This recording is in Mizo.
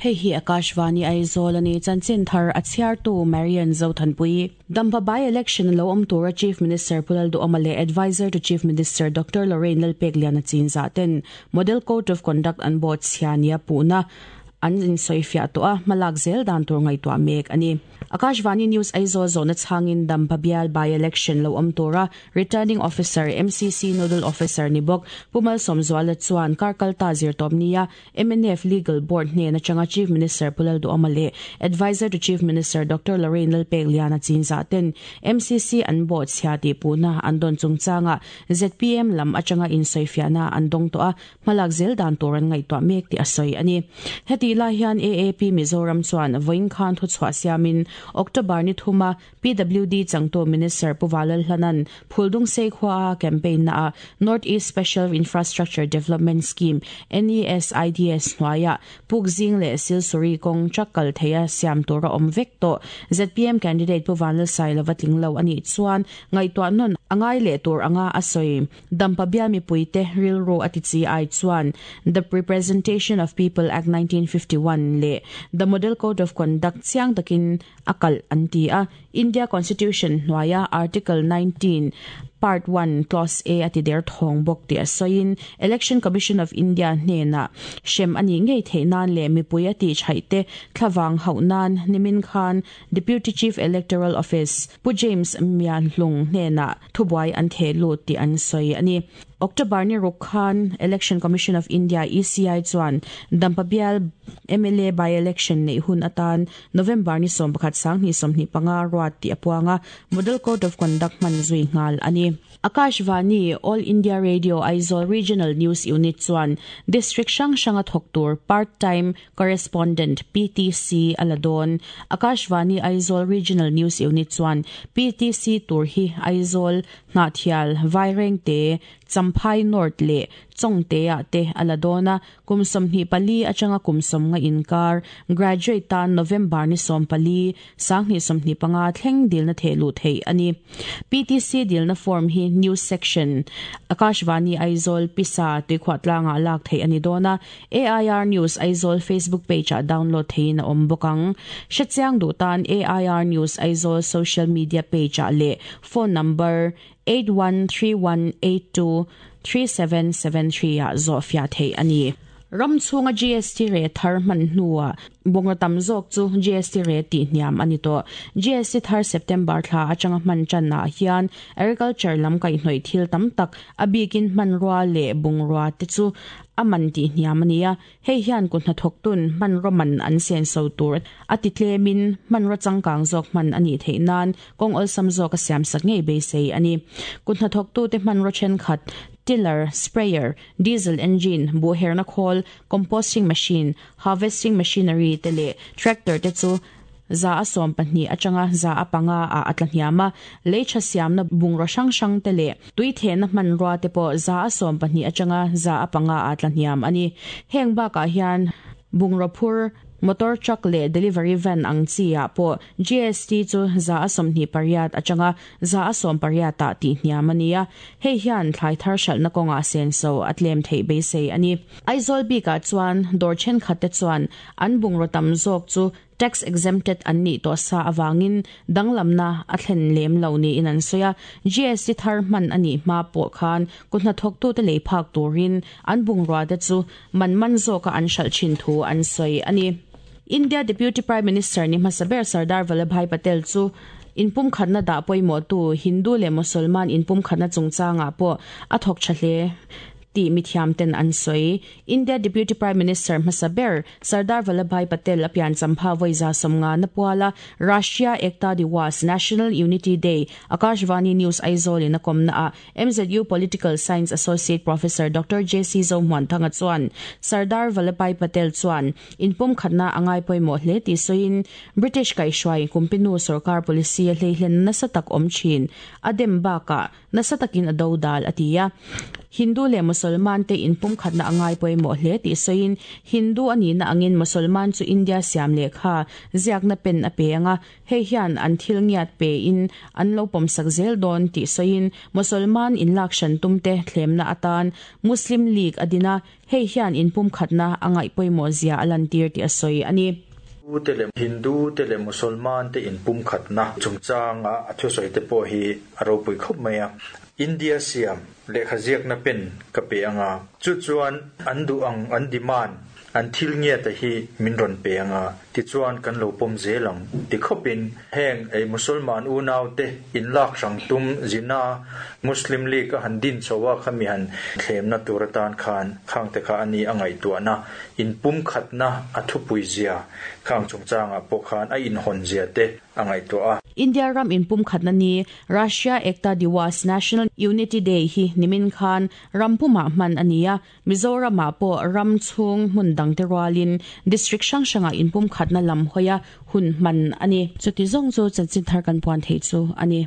Hei hi Akashvani Aizawl a ni. Chanchin thar a chhiartu Marian Zothanpui. Dampa by-election lo awm tura Chief Minister Pu Lalduhawma leh Adviser to Chief Minister Doctor Lorraine Lalpekliana chinzah ten Model Code of Conduct an bawh chhia nia puhna an insawifiah tawh a, hmalak zel dan tur ngaihtuah mek a ni. Akashvani News Aizawl zawhna chhangin Dampa bial by-election lo awm tura Returning Officer, MCC Nodal Officer ni bawk Pu Malsawmzuala chuan kar kalta zirtawp nia mnf Legal Board hnen atanga Chief Minister Pu Lalduhawma leh Adviser to Chief Minister Doctor Lorraine Lalpekliana chinzah ten MCC an bawh chhia tih puhna an dawn chungchangah zpm lam atanga insawifiahna an dawng tawh a, hmalak zel dan tur an ngaihtuah mek tih a sawi a ni. Hetih lai hian AAP Mizoram chuan vawiin khan thuchhuah siamin October ni thuma PWD changtu Minister Pu Valalhlanan Phuldungsei khuaa campaign naah North East Special Infrastructure Development Scheme, NESIDS, hnuaiah Pukzing leh Silsuri kawng truck kal theia siam tur a awm vek tawh. Zpm candidate Pu Vanlalsailova tling lo a nih chuan ngaihtuah nawn a ngai leh tur anga a sawi. Dampa bial mipuite rilru a ti chi ai chuan The Representation of People Act 1951 leh The Model Code of Conduct chiang takin a kalh an ti a. India Constitution hnuaia Article 19, Part 1, Clause A a ti der thawng bawk tih a sawiin Election Commission of India hnenah hrem a nih ngei theih nan leh mipui a tih chhaih te thlavang hauh nan nimin khan Deputy Chief Electoral Office Pu James Mianhlung hnenah thubuai an theh lut tih an sawi a ni. October ni ruk khan Election Commission of India, ECI, chuan Dampa bial mla by-election neih hun atan November ni 11 2025 ruat tih a puang a, Model Code of Conduct hman zui nghal a ni. Akashvani, All India Radio Aizawl Regional News Unit chuan District hrang hranga thawk tur Part Time Correspondent, PTC, a la dawn. Akashvani Aizawl Regional News Unit chuan PTC tur hi Aizawl, Hnahthial, Vairengte, Champhai North leh Chawngte-ah te a la dawn a, kum 24 atanga kum 50 inkar, graduate tan November ni 14, 2025 thleng dilna theh luh theih a ni. PTC dilna form hi News Section, Akashvani Aizawl, Pisa, Tuikhuahtlangah lak theih a ni dawn a, AIR News Aizawl Facebook page-ah download theihin a awm bawk ang. Hrechiang duh tan AIR News Aizawl social media page-ah leh phone number 8131823773 ah zawhfiah theih a ni. Ram chhunga GST rate thar hman hnuah bungraw tam zawk chu GST rate tih hniam a ni tawh. GST thar September thla atanga hman tanah hian agriculture lam kaihhnawih thil tam tak, a bikin hmanrua leh bungrua te chu a man tih hniam a ni a. Hei hian kut hnathawktun hmanraw man an senso tur a ti tlemin hmanraw changkang zawk hman a nih theih nan kawng awlsam zawk a siamsak ngei beisei a ni. Kut hnathawktute hmanraw thenkhat, tiller, sprayer, diesel engine, buhherna khawl, composting machine, harvesting machinery te leh tractor te chu 12% atanga 5% ah a tla hniam a, lei tha siamna bungraw hrang hrang te leh tui thehna hmanrua te pawh 12% atanga 5% ah a tla hniam a ni. Heng bakah hian bungraw phur, motor truck leh delivery van ang chi ah pawh GST chu 28% atanga 18% ah tih hniam a ni a, hei hian thlai thar hralhna kawngah senso a tlem theih beisei a ni. Aizawl bikah chuan dawr thenkhat te chuan an bungraw tam zawk chu Tax exempted an nih tawh sa avangin danglamna a thlen lem lo niin an sawi a. GST thar hman a nih hma pawh khan kut hnathawktute lei phak turin an bungruate chu man man zawka an hralh thin thu an sawi a ni. India Deputy Prime Minister ni hmasa ber Sardar Vallabhbhai Patel chu inpumkhatna dah pawimawhtu Hindu leh Mosolman inpumkhatna chungchangah pawh a thawk tha hle tih mithiamten an sawi. India Deputy Prime Minister hmasa ber Sardar Vallabhbhai Patel a pian champha vawi 50 na puala Rashtriya Ekta Diwas, National Unity Day, Akashvani News Aizawl in a kawmna ah MZU Political Science Associate Professor Doctor JC Zohmuanthanga chuan Sardar Vallabhbhai Patel chuan inpumkhatna a ngai pawimawh hle tih sawiin British kaihhruai kumpinu sorkar policy a hleihlen nasa tak awm thin a dem bakah nasa takin a dodal a ti a. Hindu leh Muslim. Mosolman te inpumkhatna a ngai pawimawh hle tih sawiin, Hindu a nihna angin Mosolman chu India siam lehkha ziakna pen a pe ang a, hei hian an thil ngiat pein an lo pawmsak zel dawn tih sawiin Mosolman inlak hran tumte thlemna atan Muslim League a din a, hei hian inpumkhatna a ngaih pawimawh zia a lantir tih a sawi a ni. Te leh Hindu te leh Mosolman te inpumkhatna chungchanga a thusawi te pawh hi a ropui khawp mai a. India siam lehkha ziakna pen ka pe ang a, chu chuan an duh ang an demand, an thil ngiata hi min rawn pe ang a, tichuan kan lo pawm zel ang ti khawpin heng ei Musulman unaute inlak hrang tum zina Muslim League a han din chho a khami han thlemna tur atan khan khangte kha a ni a ngaihtuahna inpumkhatna a thupui zia khang chungchangah pawh khan a inhawn zia te a ngaihtuah a. India ram inpumkhatna ni Rashtriya Ekta Diwas, National Unity Day, hi nimin khan ram pumah hman a ni a, Mizoramah pawh ram chhung hmun dangte rualin district hrang hrangah inpumkhatna lam hawia hun hman a ni. Chuti zawng chu chanchin thar kan puan theih chu a ni.